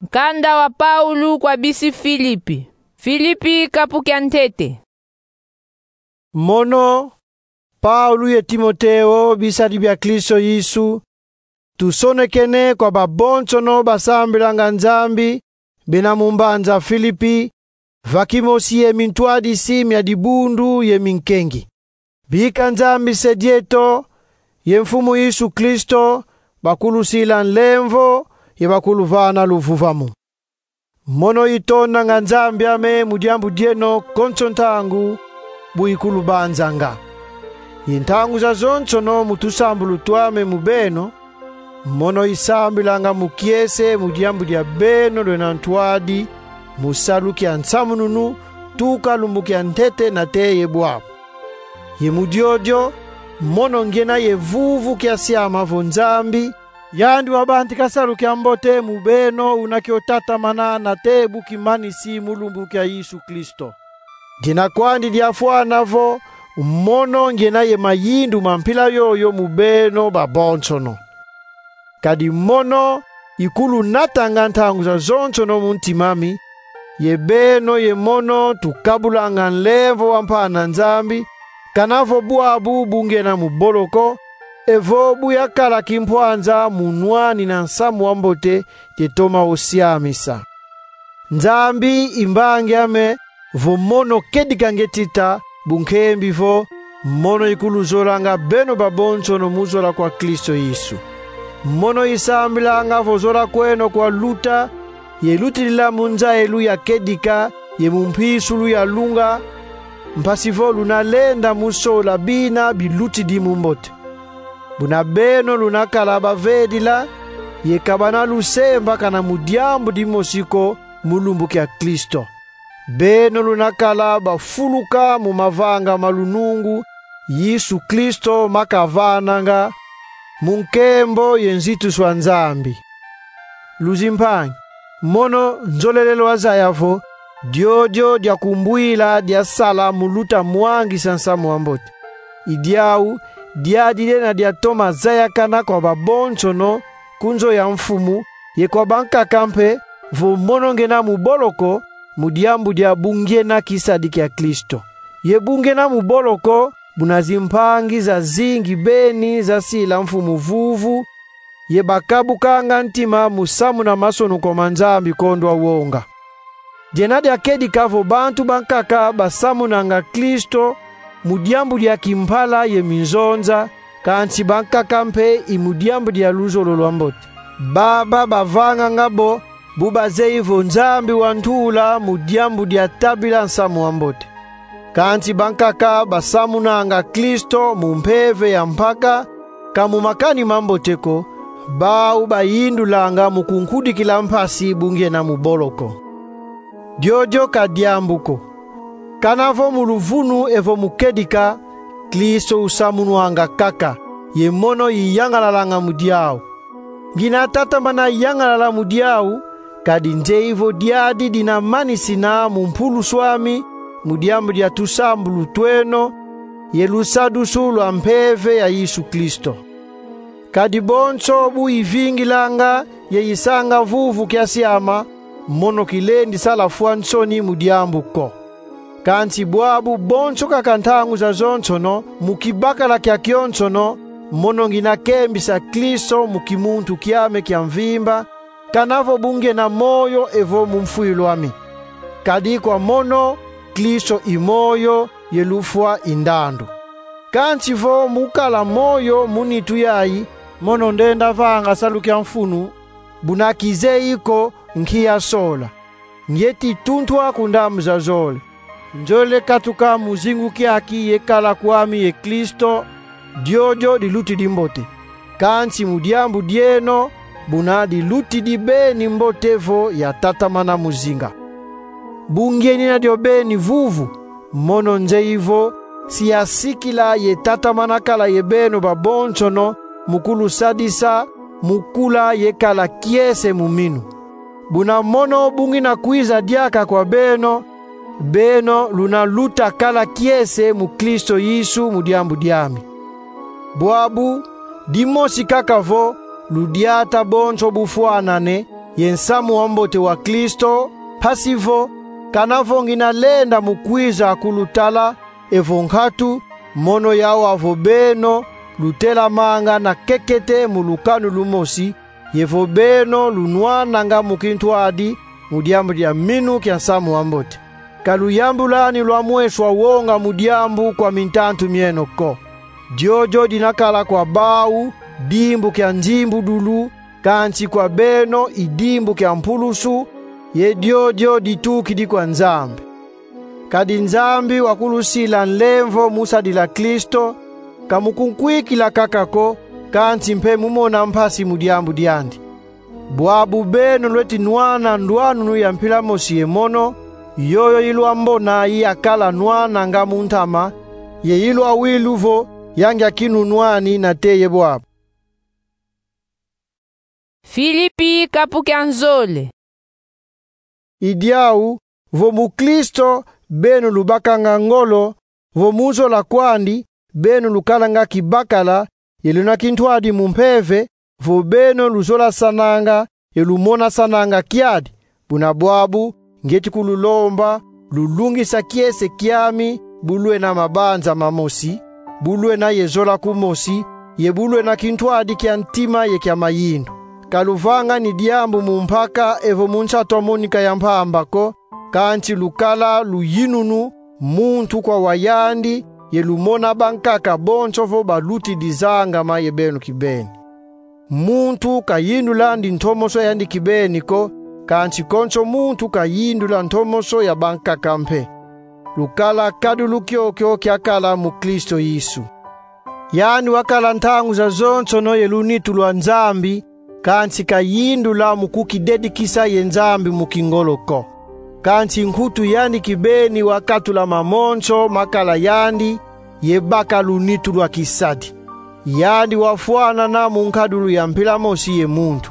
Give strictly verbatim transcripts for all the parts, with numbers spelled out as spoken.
Nkanda wa Paulo kwa bisi Filipi. Filipi, kapu kia ntete. Mono, Paulo ye Timoteo, bisadi bia Kristo Yesu, tusonekene kwa babonsono basambilanga Nzambi, bena mu mbanza Filipi, va kimosi ye mintwadisi mia dibundu ye minkengi. Bika Nzambi Se dieto ye Mfumu Yesu Kristo bakulusila nlemvo ye bakuluvana luvuvamu. Mono itondanga Nzambi ame mu diambu dieno konso ntangu, bu ikulubanzanga. Ye ntangu zazonsono mu tusambulu twame mu beno, mono isambilanga mu kiese mu diambu dia beno lwena ntwadi mu salu kia nsamununu, tuka lumbu kia ntete nate ye bwabu. Ye mu diodio, mono ngiena ye vuvu kia siama vo Nzambi, yandi wabantika salu kia mbote mu beno, una kio tatamana nate bu kimanisi mu lumbu kia Yesu Kristo. Ngiena kwandi diafwana vo mono ngiena ye mayindu ma mpila yoyo mu beno babonsono. Kadi mono ikulunatanga ntangu zazonsono mu ntima ami, ye beno ye mono tukabulanga nlemvo wa mpa na Nzambi, kana vo bwabu bu ngiena mu boloko, evo bu yakala kimpwanza mu nwanina nsamu wa mbote ye toma usiamisa. Nzambi i mbangi ame, vo mono kedika nge tita, bu nkembi vo mono ikuluzolanga beno babonsono mu zola kwa Kristo Yesu. Mono isambilanga vo zola kweno kwaluta, ye lutidila mu nzayilu ya kedika ye mu mpisulu ya lunga, mpasi vo luna lenda mu sola bina bilutidi mu mbote. Buna beno luna kala bavedila, ye ka bana lusembakana mu diambu dimosi ko mu lumbu kia Kristo. Beno luna kala bafuluka mu mavanga ma lunungu Yesu Kristo makavananga, mu nkembo ye nzituswa Nzambi. Luzimpangi, mono nzolele lwazaya vo diodio diakumbwila diasala mu luta mwangisa nsamu wa mbote. I diau, diadi diena diatoma zayakana kwa babonsono, ku nzo ya Mfumu, ye kwa bankaka mpe, vo mono ngiena mu boloko, mu diambu dia bu ngiena kisadi kia Kristo. Ye bu ngiena mu boloko, buna zimpangi zazingi beni zasila Mfumu vuvu, ye bakabukanga ntima mu samuna masonuko ma Nzambi kondwa wonga. Diena diakedika vo bantu bankaka basamunanga Kristo mu diambu dia kimpala ye minzonza, kansi bankaka mpe i mu diambu dia luzolo lwa mbote. Baba bavanganga bo, bu bazeyi vo Nzambi wantula mu diambu dia tabila nsamu wa mbote. Kansi bankaka basamunanga Kristo mu mpeve ya mpaka, ka mu makani ma mbote ko, bau bayindulanga mu kunkudikila mpasi bu ngiena mu boloko. Diodio ka diambu ko. Kana vo mu luvunu evo mu kedika, Kristo usamunwanga kaka, ye mono iyangalalanga mu diau. Ngiena tatamana yangalala mu diau, kadi nzeyi vo diadi dina manisina mu mpuluswami, mu diambu dia tusambulu tweno, ye lusadusu lwa mpeve ya Yesu Kristo. Kadi bonso bu ivingilanga ye isanga vuvu kia siama, mono kilendi sala fwa nsoni mu diambu ko. Kansi bwabu bonso kaka ntangu zazonsono, mu kibakala kiakionsono, mono ngiena kembisa Kristo mu kimuntu kiame kia mvimba, kana vo bu ngiena moyo evo mu mfwilu ami. Kadi kwa mono, Kristo i moyo, ye lufwa i ndandu. Kansi vo mu kala moyo mu nitu yayi, mono ndenda vanga salu kia mfunu, buna kizeyi ko nki yasola. Ngieti tuntwa ku ndambu zazole. Nzolele katuka mu zingu kiaki ye kala kwami ye Kristo, diodio dilutidi mbote. Kansi mu diambu dieno, buna dilutidi beni mbote vo yatatamana mu zinga. Bu ngienina dio beni vuvu, mono nzeyi vo si yasikila ye tatamana kala ye beno babonsono, mu kulusadisa mu kula ye kala kiese mu minu. Buna mono bu ngiena kwiza diaka kwa beno, beno luna luta kala kiese mu Kristo Yesu mu diambu diami. Bwabu, dimosi kaka vo ludiata bonso bufwanane, ye nsamu wa mbote wa Kristo, mpasi vo, kana vo ngina lenda mu kwiza kulutala, evo nkatu, mono yawu avo beno lutelamanga na kekete mu lukanu lumosi, ye vo beno lunwananga mu kintwadi mu diambu dia minu kia nsamu wa mbote. Ka luyambulani lwa mweswa wonga mu diambu kwa mintantu mieno ko. Diodio dina kala kwa bawu dimbu kia nzimbudulu, kansi kwa beno i dimbu kia mpulusu, ye diodio ditukidi kwa Nzambi. Kadi Nzambi wakulusila nlemvo mu sadila Kristo, ka mu kunkwikila kaka ko, kansi mpe mu mona mpasi mu diambu diandi. Bwabu beno lweti nwana ndwanunu ya mpila mosi ye mono, yoyo ilwambona yakala nwananga mu ntama, ye ilwawilu vo ya ngia kinunwani nate ye bwabu. Filipi kapu kia nzole. I diawu, vo mu Kristo beno lubakanga ngolo, vo mu zola kwandi beno lukalanga kibakala, ye luna kintwadi mu mpeve, vo beno luzolasananga ye lumonasananga kiadi. Buna bwabu, ngieti kululomba, lulungisa kiese kiami, bu lwena mabanza mamosi, bu lwena ye zola kumosi, ye bu lwena kintwadi kia ntima ye kia mayindu. Ka luvangani diambu mu mpaka evo mu nsatu a monika ya mpamba ko, kansi lukala luyinunu, muntu kwa wayandi, ye lumona bankaka bonso vo balutidi zangama ye beno kibeni. Muntu kayindulandi ntomoso yandi kibeni ko, kansi konso muntu kayindula ntomoso ya bankaka mpe. Lukala kadulu kiokio kiakala mu Kristo Yesu. Yandi wakala ntangu zazonsono ye lunitu lwa Nzambi, kansi kayindula mu kukidedikisa ye Nzambi mu kingolo ko. Kansi nkutu yandi kibeni wakatula mamonso makala yandi, ye baka lunitu lwa kisadi. Yandi wafwanana mu nkadulu ya mpila mosi ye muntu,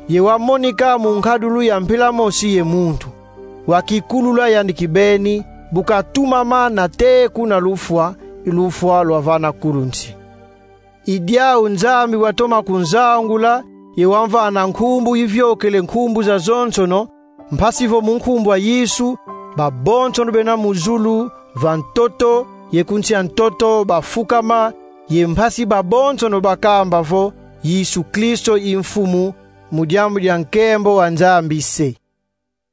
ye wamonika mu nkadulu ya mpila mosi ye muntu. Wakikulula yandi kibeni, bu katumama nate kuna lufwa, i lufwa lwavana kulu nsi. I diawu Nzambi watoma kunzangula, ye wamvana nkumbu iviokele nkumbu zazonsono, mpasi vo mu nkumbu a Yesu, babonsono bena mu zulu, va ntoto, ye ku nsi a ntoto bafukama, ye mpasi babonsono bakamba vo Yesu Kristo i Mfumu, mu diambu dia nkembo wa Nzambi Se.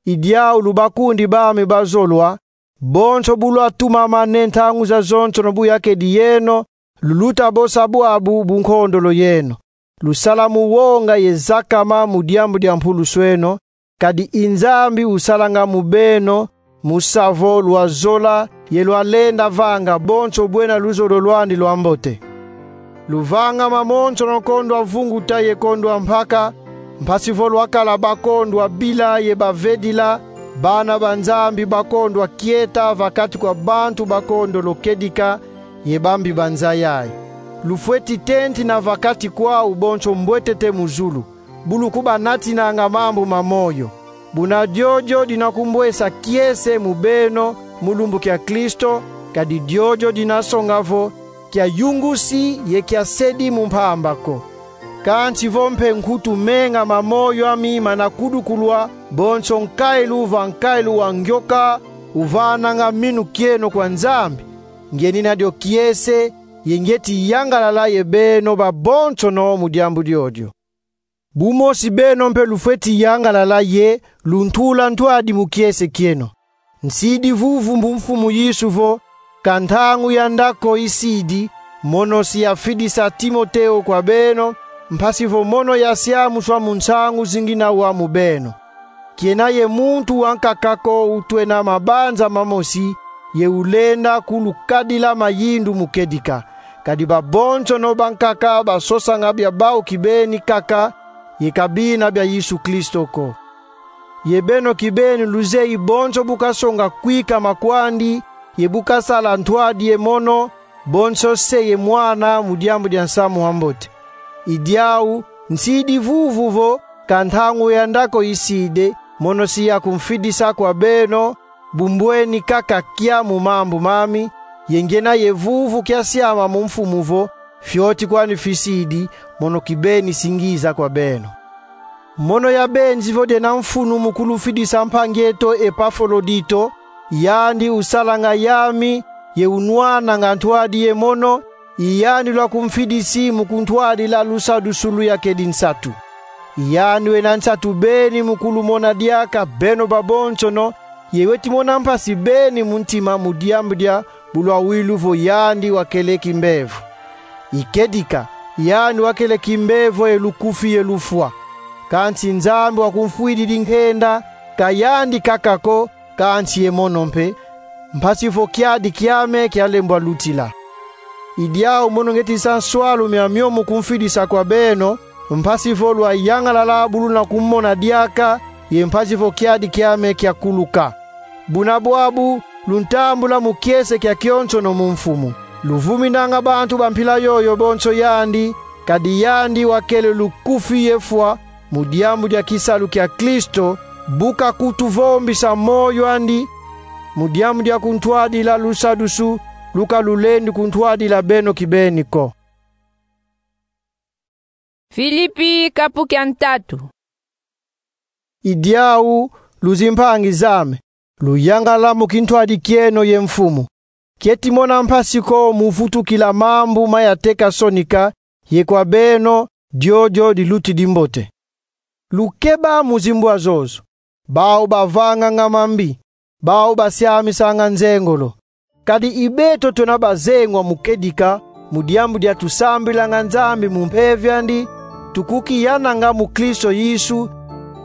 I diawu lubakundi bami bazolwa, bonso bu lwatumamane ntangu zazonsono bu yakedi yeno, luluta bosa bwabu bu nkondolo yeno. Lusala mu wonga ye zakama mu diambu dia mpulusu eno, kadi i Nzambi usalanga mu beno, mu sa vo lwazola ye lwalenda vanga bonso bwena luzolo lwandi lwambote. Luvanga mamonsono kondwa vunguta ye kondwa mpaka, mpasi vo lwakala bakondwa bila ye bavedila, bana ba Nzambi bakondwa kieta va kati kwa bantu bakondolo kedika ye bambi banza yayi. Lufweti tentina va kati kwawu bonso mbwetete mu zulu, bu lukubanatinanga mambu ma moyo. Buna diodio dina kumbwesa kiese mu beno mu lumbu kia Kristo, kadi diodio dina songa vo kia yungusi ye kia sedi mu mpamba ko. Kansi vo mpe nkutu menga ma moyo ami mana kudukulwa, bonso nkailu va nkailu wa ngioka uvananga minu kieno kwa Nzambi, ngienina dio kiese, ye ngieti yangalala ye beno babonsono mu diambu diodio. Bu mosi beno mpe lufweti yangalala ye luntula ntwadi mu kiese kieno. Nsidi vuvu mu Mfumu Yesu vo, ka ntangu ya nda ko isidi, mono si yafidisa Timoteo kwa beno, mpasi vo mono yasiamuswa mu nsangu zi ngina wa mu beno. Kiena ye muntu wankaka ko utwena mabanza mamosi, ye ulenda kulukadila mayindu mu kedika. Kadi babonsono bankaka basosanga bia bawu kibeni kaka, ye ka bina bia Yesu Kristo ko. Ye beno kibeni luzeyi bonso bu kasonga kwikama kwandi, ye bu kasala ntwadi ye mono, bonso Se ye Mwana mu diambu dia nsamu wa mbote. I diawu, nsidi vuvu vo, ka ntangu ya nda ko isidi, mono si yakumfidisa kwa beno, bu mbweni kaka kia mu mambu mami, ye ngiena ye vuvu kia siama mu Mfumu vo, fioti kwani fisidi, mono kibeni si ngiza kwa beno. Mono yabenzi vo diena mfunu mu kulufidisa mpangi eto Epafrodito, yandi usalanga yami, ye unwananga ntwadi ye mono, i yandi lwakumfidisi mu kuntwadila lusadisu luyakedi nsatu. I yandi wena nsatu beni mu kulumona diaka beno babonsono, ye weti mona mpasi beni mu ntima mu diambu dia bulwawilu vo yandi wakele kimbevo. I kedika, yandi wakele kimbevo ye lukufi ye lufwa. Kansi Nzambi wakumfwididi nkenda, ka yandi kaka ko, kansi ye mono mpe, mpasi vo kiadi kiame kialembwa lutila. I diau mono ngieti sa nswalu miamio mu kumfidisa kwa beno, mpasi vo lwayangalala bu luna kumona diaka, ye mpasi vo kiadi kiame kiakuluka. Buna bwabu, luntambula mu kiese kiakionsono mu Mfumu. Luvuminanga bantu ba mpila yoyo bonso yandi, kadi yandi wakele lukufi ye fwa, mu diambu dia kisalu kia Kristo, bu kakutuvombisa moyo andi, mu diambu dia kuntwadila lusadisu lu kalulendi kuntwadila beno kibeni ko. Filipi kapu kia ntatu. I diau, luzimpangi zame, luyangala mu kintwadi kieno ye Mfumu. Kieti mona mpasi ko mu vutukila mambu ma yateka sonika, ye kwa beno, diodio dilutidi mbote. Lukeba mu zimbwa zozo, bau bavanganga mambi, bau basiamisanga nzengolo. Kadi i beto twena bazengwa mu kedika, mu diambu dia tusambilanga Nzambi mu mpeve andi, tukukiyananga mu Kristo Yesu,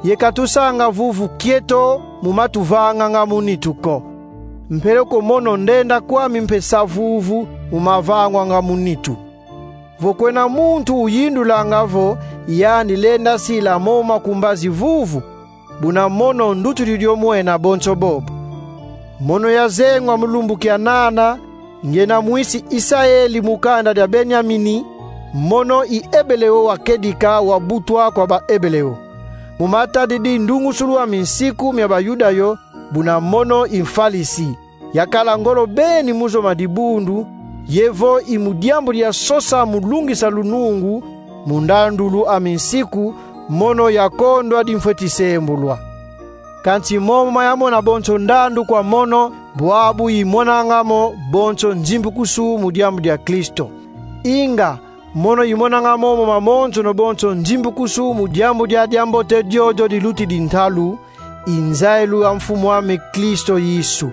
ye ka tusanga vuvu kieto mu ma tuvanganga mu nitu ko. Mpeleko mono ndenda kwami mpe sa vuvu mu ma vangwanga mu nitu. Vo kwena muntu uyindulanga vo yandi lenda sila mo makumbazi vuvu, buna mono ndutudi dio mwena bonso bobo. Mono yazengwa mu lumbu kia nana, ngiena mwisi Isaeli mu kanda dia Benyamini, mono i Ebeleo wa kedika wa butwa kwa ba Ebeleo. Mu matadidi ndungusulu a minsiku mia Bayuda yo, buna mono i mfalisi. Yakala ngolo beni mu zoma dibundu, ye vo i mu diambu dia sosa mu lungisa lunungu, mu ndandulu a minsiku, mono yakondwa dimfweti sembulwa. Kansi momo ma yamona bonso ndandu kwa mono, bwabu imonanga mo bonso nzimbukusu mu diambu dia Kristo. Inga, mono imonanga momo mamonsono bonso nzimbukusu mu diambu dia diambote diodio dilutidi ntalu, i nzailu a Mfumu ame Kristo Yesu.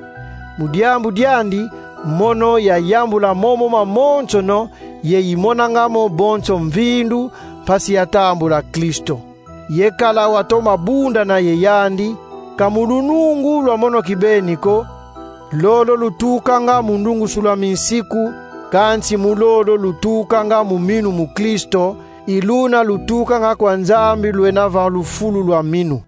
Mu diambu diandi, mono yayambula momo mamonsono, ye imonanga mo bonso mvindu, mpasi yatambula Kristo. Ye kala watoma bundana ye yandi, ka mu lunungu lwa mono kibeni ko, lolo lutukanga mu ndungusulu a minsiku, kansi mu lolo lutukanga mu minu mu Kristo, i luna lutukanga kwa Nzambi lwena va lufulu lwa minu.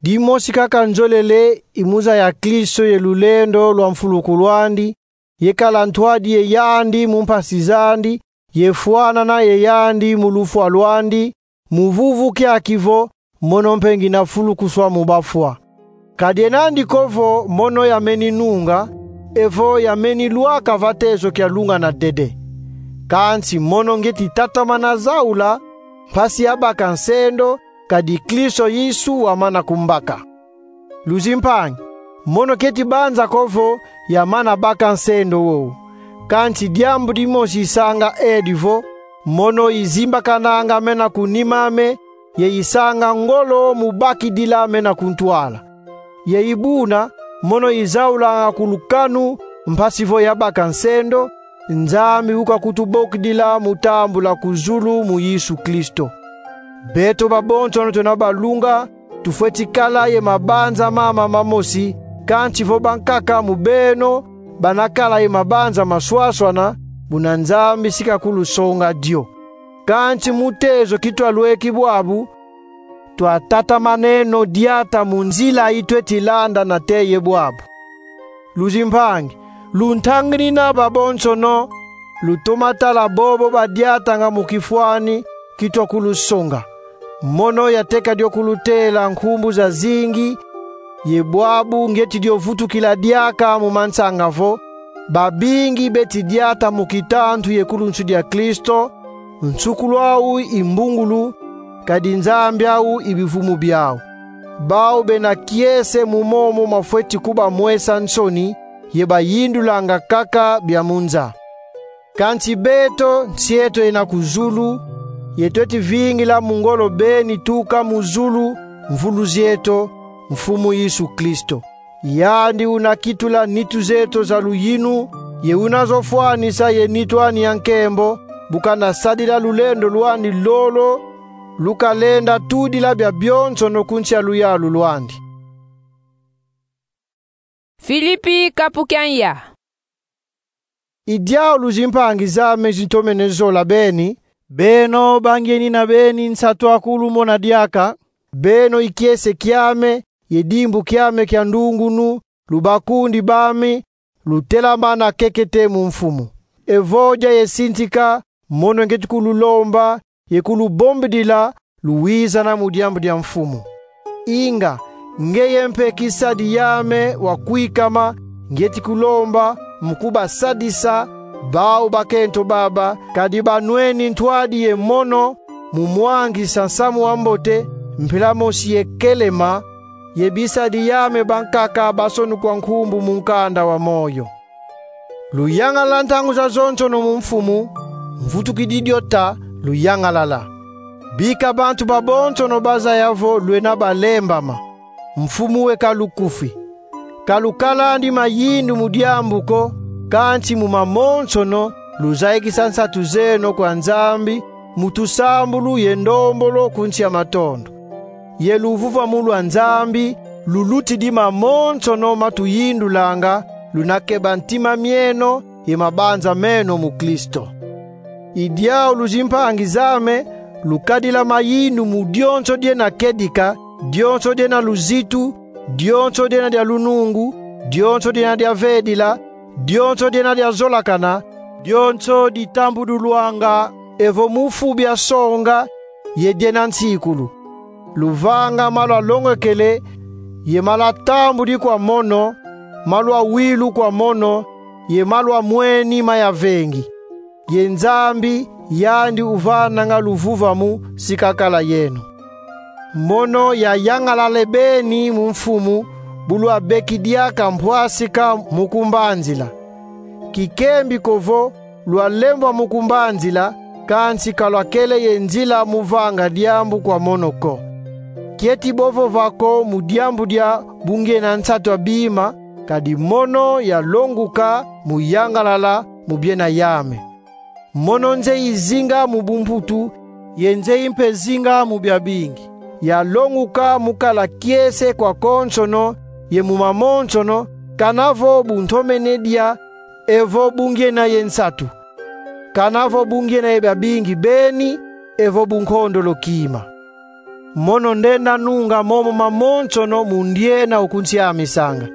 Dimosi kaka nzolele i mu zaya Kristo ye lulendo lwa mfulukulu andi, ye kala ntwadi ye yandi mu mpasi zandi, ye fwanana ye yandi mu lufwa lwandi, mu vuvu kiaki vo, mono mpe ngina fulukuswa mu bafwa. Ka diena andi ko vo mono yameni nunga, evo yameni lwaka va tezo kialungana dede. Kansi mono ngieti tatamana zaula, mpasi yabaka nsendo, kadi Kristo Yesu wamana kumbaka. Luzimpangi, mono kieti banza ko vo yamana baka nsendo wowo. Kansi diambu dimosi isanga edi vo, mono izimbakananga mena ku nima ame, ye isanga ngolo mu bakidila mena ku ntwala. Ye i buna, mono izaulanga ku lukanu, mpasi vo yabaka nsendo, Nzambi ukakutubokidila mu tambula ku zulu mu Yesu Kristo. Beto babonsono twena balunga, tufweti kala ye mabanza mama mamosi, kansi vo bankaka mu beno bana kala ye mabanza maswaswana, buna Nzambi si kakulusonga dio. Kansi mu tezo kitwalweki bwabu, twatatamaneno diata mu nzila i tweti landa nate ye bwabu. Luzimpangi, luntanginina babonsono, lutoma tala bobo badiatanga mu kifwani kitwa kulusonga. Mono yateka dio kulutela nkumbu zazingi, ye bwabu ngieti dio vutukila diaka mu mansanga vo, babingi beti diata mu kitantu ye kulunsu dia Kristo, nsukulu au i mbungulu, kadi Nzambi au i bivumu biau. Bau bena kiese mu momo mafweti kuba mwesa nsoni, ye bayindulanga kaka bia mu nza. Kansi beto, nsi eto yena ku zulu, ye tweti vingila mu ngolo beni tuka mu zulu, Mvuluzi eto, Mfumu Yesu Kristo. Yandi una kitula nitu zeto za luyinu, ye una zo fwanisa ye nitu ani ya nkembo, bu kana sadila lulendo lwandi lolo lukalenda tudila bia bionsono ku nsi ya luyalu lwandi. Filipi kapu kia nya. I diawu lu zimpangi zame zintomene zola beni, beno bangieni na beni nsatu akulu mona diaka, beno i kiese kiame, ye dimbu kiame kia ndungunu, lu bakundi bami, lu telamana kekete mu Mfumu. Evo dia ye sintika, mono ngieti kululomba, ye kulubombidila, lu wizana mu diambu dia Mfumu. Inga, ngeye mpe kisadi yame wa kwikama, ngieti kulomba, mu kubasadisa, bau bakento baba, kadi banweni ntwadi ye mono, mu mwangisa nsamu wa mbote, mpila mosi ye Kelema, ye bisadi yame bankaka basonukwa nkumbu mu nkanda wa moyo. Luyangalala ntangu zazonsono mu Mfumu, mvutukidi dio ta, luyangalala. Bika bantu babonsono bazaya vo lwena balembama. Mfumu we ka lukufi. Ka lukalandi mayindu mu diambu ko, kansi mu mamonsono, luzayikisa nsatu zeno kwa Nzambi, mu tusambulu ye ndombolo ku nsi ya matondo. Ye luvuvamu lwa Nzambi, lulutidi mamonsono ma tuyindulanga, luna keba ntima mieno ye mabanza meno mu Kristo. I diawu lu zimpangi zame, lukadila mayindu mu dionso diena kedika, dionso diena luzitu, dionso diena dia lunungu, dionso diena dia vedila, dionso diena dia zolakana, dionso ditambudulwanga, evo mu fu bia songa, ye diena nsikulu. Luvanga ma lwalongokele, ye ma lwatambudi kwa mono, ma lwawilu kwa mono, ye ma lwamweni ma yavengi. Ye Nzambi, yandi uvananga luvuvamu, si kakala yeno. Mono yayangalale beni mu Mfumu, bu lwabeki diaka mpwasika mu kumbanzila. Kikembi ko vo, lwalembwa mu kumbanzila, kansi ka lwakele ye nzila mu vanga diambu kwa mono ko. Kieti bo vova ko mu diambu dia bu ngiena nsatu a bima, kadi mono yalonguka mu yangalala mu biena yame. Mono nzeyi zinga mu bumputu, ye nzeyi mpe zinga mu biabingi. Yalonguka mu kala kiese kwa konsono, ye mu mamonsono, kana vo bu ntomene dia, evo bu ngiena ye nsatu. Kana vo bu ngiena ye biabingi beni, evo bu nkondolo kima. Mono ndenda nunga momo mamonsono mu ndiena ukunsiamisanga.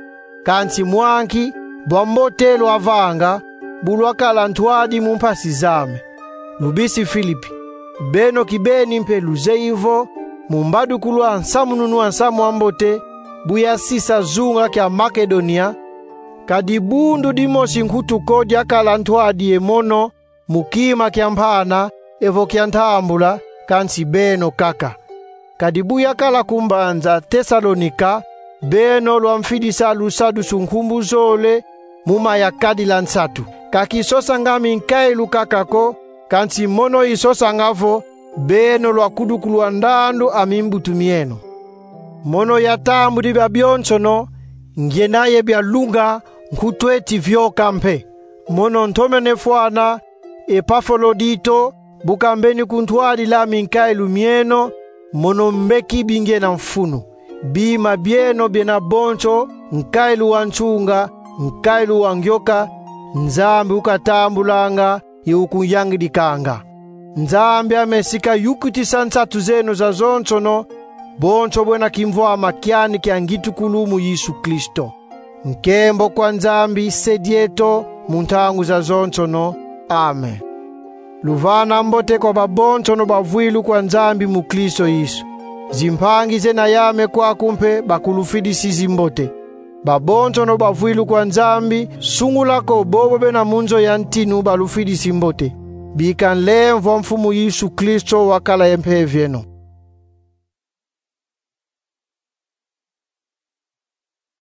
Kansi mwanki, bwa mbote lwavanga, bu lwakala ntwadi mu mpasi zame. Lubisi Filipi, beno kibeni mpe luzeyi vo, mu mbadukulu a nsamununu a nsamu a mbote, bu yasisa zunga kia Makedonia, ka dibundu dimosi nkutu ko diakala ntwadi ye mono, mu kima kia mpana, evo kia ntambula, kansi beno kaka. Kadi bu yakala ku mbanza Tesalonika, beno lwamfidisa lusadusu nkumbu zole, mu ma yakadila nsatu. Ka kisosanga minkailu kaka ko, kansi mono isosanga vo, beno lwakudukulwa ndandu a mimbutu mieno. Mono yatambudi biabionsono, ngiena ye bialunga, nkutu eti vioka mpe. Mono ntomene fwana, Epafolodito, bu kambeni kuntwadila minkailu mieno, mono mbeki bingiena mfunu. Bima bieno biena bonso, nkailu wa nsunga, nkailu wa ngioka, Nzambi ukatambulanga, ye ukunyangidikanga. Nzambi ame si kayukutisa nsatu zeno zazonsono, bonso bwena kimvwama kiani kia ngitukulu mu Yesu Kristo. Nkembo kwa Nzambi Se dieto mu ntangu zazonsono. Amen. Luvana mbote kwa babonsono bavwilu kwa Nzambi mu Kristo Yesu. Zimpangi zena yame kwaku mpe bakulufidisi zimbote. Babonsono bavwilu kwa Nzambi, sungula ko bobo bena mu nzo ya ntinu balufidisi mbote. Bika nlemvo a Mfumu Yesu Kristo wakala ye mpeve yeno.